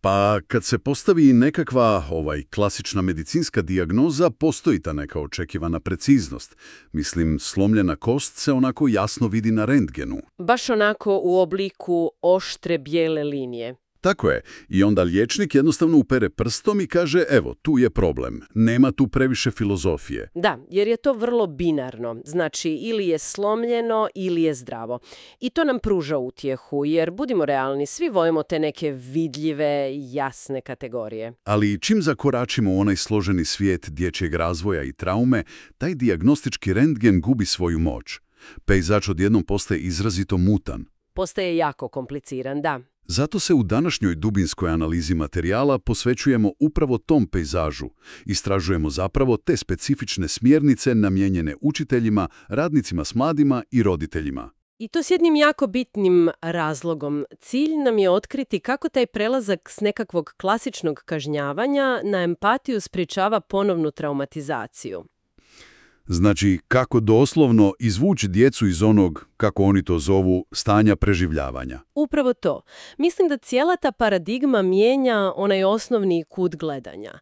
Pa kad se postavi nekakva klasična medicinska dijagnoza, postoji ta neka očekivana preciznost. Mislim, slomljena kost se onako jasno vidi na rentgenu. Baš onako u obliku oštre bijele linije. Tako je. I onda liječnik jednostavno upere prstom i kaže, evo, tu je problem. Nema tu previše filozofije. Da, jer je to vrlo binarno. Znači, ili je slomljeno, ili je zdravo. I to nam pruža utjehu, jer budimo realni, svi volimo te neke vidljive, jasne kategorije. Ali čim zakoračimo u onaj složeni svijet dječjeg razvoja i traume, taj dijagnostički rentgen gubi svoju moć. Pejzač odjednom postaje izrazito mutan. Postaje jako kompliciran, da. Zato se u današnjoj dubinskoj analizi materijala posvećujemo upravo tom pejzažu. Istražujemo zapravo te specifične smjernice namijenjene učiteljima, radnicima s mladima i roditeljima. I to s jednim jako bitnim razlogom. Cilj nam je otkriti kako taj prelazak s nekakvog klasičnog kažnjavanja na empatiju sprječava ponovnu traumatizaciju. Znači, kako doslovno izvući djecu iz onog, kako oni to zovu, stanja preživljavanja. Upravo to. Mislim da cijela ta paradigma mijenja onaj osnovni kut gledanja.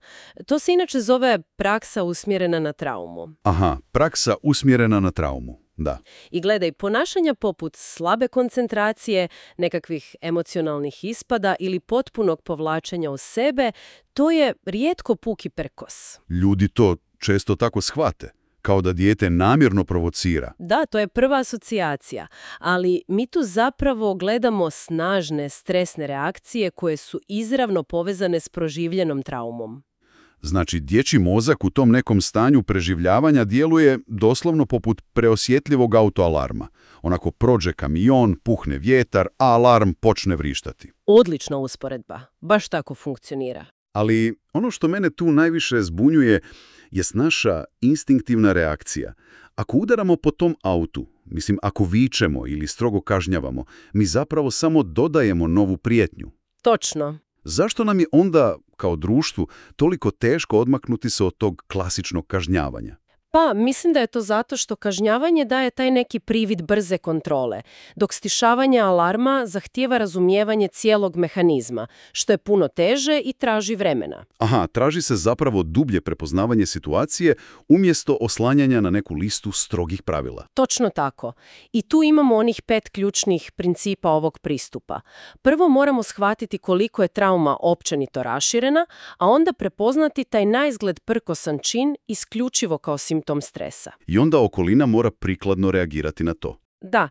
To se inače zove praksa usmjerena na traumu. Aha, praksa usmjerena na traumu, da. I gledaj, ponašanja poput slabe koncentracije, nekakvih emocionalnih ispada ili potpunog povlačenja u sebe, to je rijetko puki prkos. Ljudi to često tako shvate. Kao da dijete namjerno provocira. Da, to je prva asocijacija, ali mi tu zapravo gledamo snažne stresne reakcije koje su izravno povezane s proživljenom traumom. Znači, dječji mozak u tom nekom stanju preživljavanja djeluje doslovno poput preosjetljivog autoalarma. Onako prođe kamion, puhne vjetar, a alarm počne vrištati. Odlična usporedba, baš tako funkcionira. Ali ono što mene tu najviše zbunjuje jest naša instinktivna reakcija. Ako udaramo po tom autu, mislim ako vičemo ili strogo kažnjavamo, mi zapravo samo dodajemo novu prijetnju. Točno. Zašto nam je onda, kao društvu, toliko teško odmaknuti se od tog klasičnog kažnjavanja? Pa, mislim da je to zato što kažnjavanje daje taj neki privid brze kontrole, dok stišavanje alarma zahtijeva razumijevanje cijelog mehanizma, što je puno teže i traži vremena. Aha, traži se zapravo dublje prepoznavanje situacije umjesto oslanjanja na neku listu strogih pravila. Točno tako. I tu imamo onih 5 ključnih principa ovog pristupa. Prvo moramo shvatiti koliko je trauma općenito raširena, a onda prepoznati taj naizgled prkosan čin isključivo kao simptom stresa. I onda okolina mora prikladno reagirati na to. Da,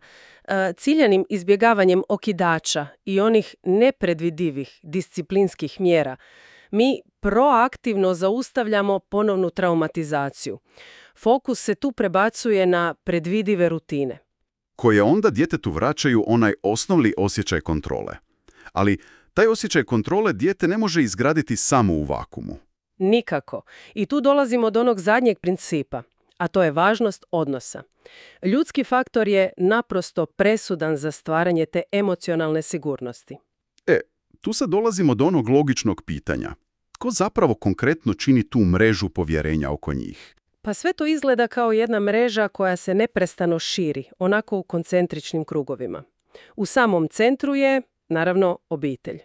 ciljanim izbjegavanjem okidača i onih nepredvidivih disciplinskih mjera mi proaktivno zaustavljamo ponovnu traumatizaciju. Fokus se tu prebacuje na predvidive rutine. Koje onda djetetu vraćaju onaj osnovni osjećaj kontrole. Ali taj osjećaj kontrole dijete ne može izgraditi samo u vakumu. Nikako. I tu dolazimo do onog zadnjeg principa, a to je važnost odnosa. Ljudski faktor je naprosto presudan za stvaranje te emocionalne sigurnosti. Tu sad dolazimo do onog logičnog pitanja. Tko zapravo konkretno čini tu mrežu povjerenja oko njih? Pa sve to izgleda kao jedna mreža koja se neprestano širi, onako u koncentričnim krugovima. U samom centru je, naravno, obitelj.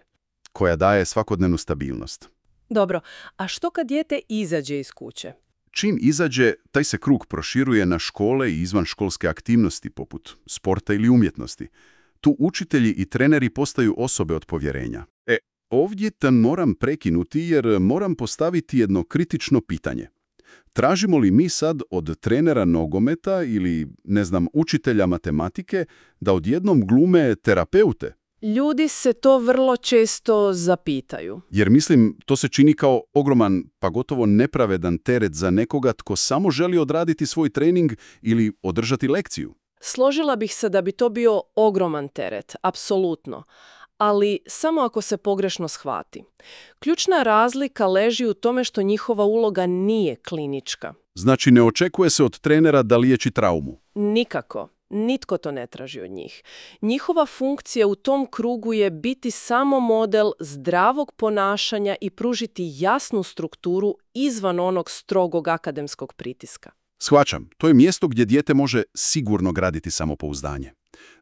Koja daje svakodnevnu stabilnost. Dobro, a što kad dijete izađe iz kuće? Čim izađe, taj se krug proširuje na škole i izvanškolske aktivnosti poput sporta ili umjetnosti. Tu učitelji i treneri postaju osobe od povjerenja. Ovdje te moram prekinuti jer moram postaviti jedno kritično pitanje. Tražimo li mi sad od trenera nogometa ili, učitelja matematike da odjednom glume terapeute? Ljudi se to vrlo često zapitaju. Jer to se čini kao ogroman, pa gotovo nepravedan teret za nekoga tko samo želi odraditi svoj trening ili održati lekciju. Složila bih se da bi to bio ogroman teret, apsolutno. Ali samo ako se pogrešno shvati. Ključna razlika leži u tome što njihova uloga nije klinička. Znači ne očekuje se od trenera da liječi traumu? Nikako. Nitko to ne traži od njih. Njihova funkcija u tom krugu je biti samo model zdravog ponašanja i pružiti jasnu strukturu izvan onog strogog akademskog pritiska. Shvaćam, to je mjesto gdje dijete može sigurno graditi samopouzdanje.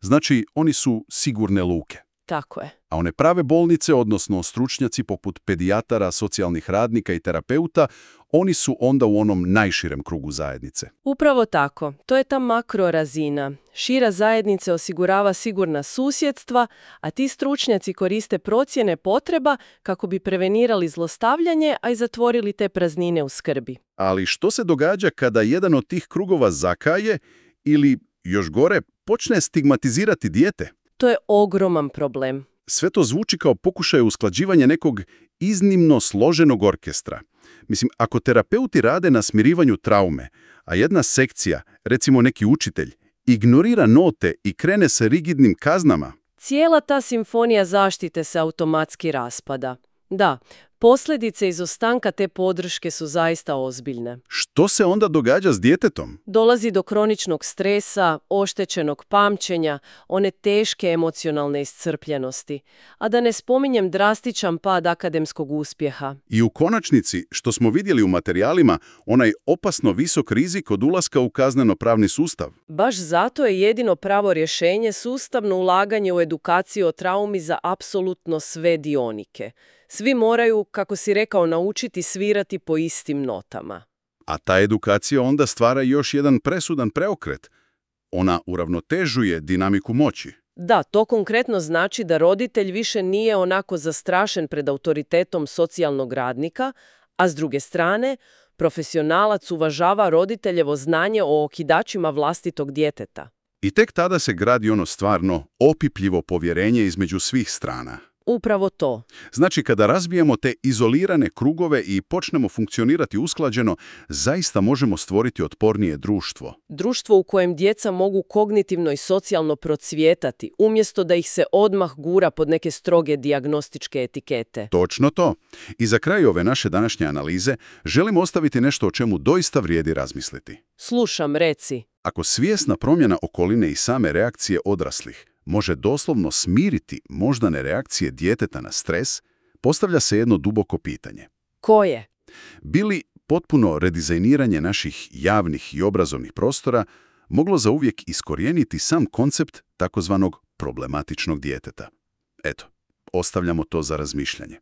Znači, oni su sigurne luke. Tako je. A one prave bolnice, odnosno stručnjaci poput pedijatara, socijalnih radnika i terapeuta, oni su onda u onom najširem krugu zajednice. Upravo tako. To je ta makrorazina. Šira zajednice osigurava sigurna susjedstva, a ti stručnjaci koriste procjene potreba kako bi prevenirali zlostavljanje, a i zatvorili te praznine u skrbi. Ali što se događa kada jedan od tih krugova zakaje ili, još gore, počne stigmatizirati dijete? To je ogroman problem. Sve to zvuči kao pokušaj usklađivanja nekog iznimno složenog orkestra. Mislim, ako terapeuti rade na smirivanju traume, a jedna sekcija, recimo neki učitelj, ignorira note i krene sa rigidnim kaznama, Cijela ta simfonija zaštite se automatski raspada. Da, posljedice izostanka te podrške su zaista ozbiljne. što se onda događa s djetetom? Dolazi do kroničnog stresa, oštećenog pamćenja, one teške emocionalne iscrpljenosti, a da ne spominjem drastičan pad akademskog uspjeha. I u konačnici, što smo vidjeli u materijalima, onaj opasno visok rizik od ulaska u kazneno-pravni sustav. Baš zato je jedino pravo rješenje sustavno ulaganje u edukaciju o traumi za apsolutno sve dionike. Svi moraju, kako si rekao, naučiti svirati po istim notama. A ta edukacija onda stvara još jedan presudan preokret. Ona uravnotežuje dinamiku moći. Da, to konkretno znači da roditelj više nije onako zastrašen pred autoritetom socijalnog radnika, a s druge strane, profesionalac uvažava roditeljevo znanje o okidačima vlastitog djeteta. I tek tada se gradi ono stvarno opipljivo povjerenje između svih strana. Upravo to. Znači, kada razbijemo te izolirane krugove i počnemo funkcionirati usklađeno, zaista možemo stvoriti otpornije društvo. Društvo u kojem djeca mogu kognitivno i socijalno procvjetati, umjesto da ih se odmah gura pod neke stroge dijagnostičke etikete. Točno to. I za kraj ove naše današnje analize želim ostaviti nešto o čemu doista vrijedi razmisliti. Slušam, reci. Ako svjesna promjena okoline i same reakcije odraslih može doslovno smiriti moždane reakcije djeteta na stres, postavlja se jedno duboko pitanje. Koje? Bi li potpuno redizajniranje naših javnih i obrazovnih prostora moglo zauvijek iskorijeniti sam koncept takozvanog problematičnog djeteta? Eto, ostavljamo to za razmišljanje.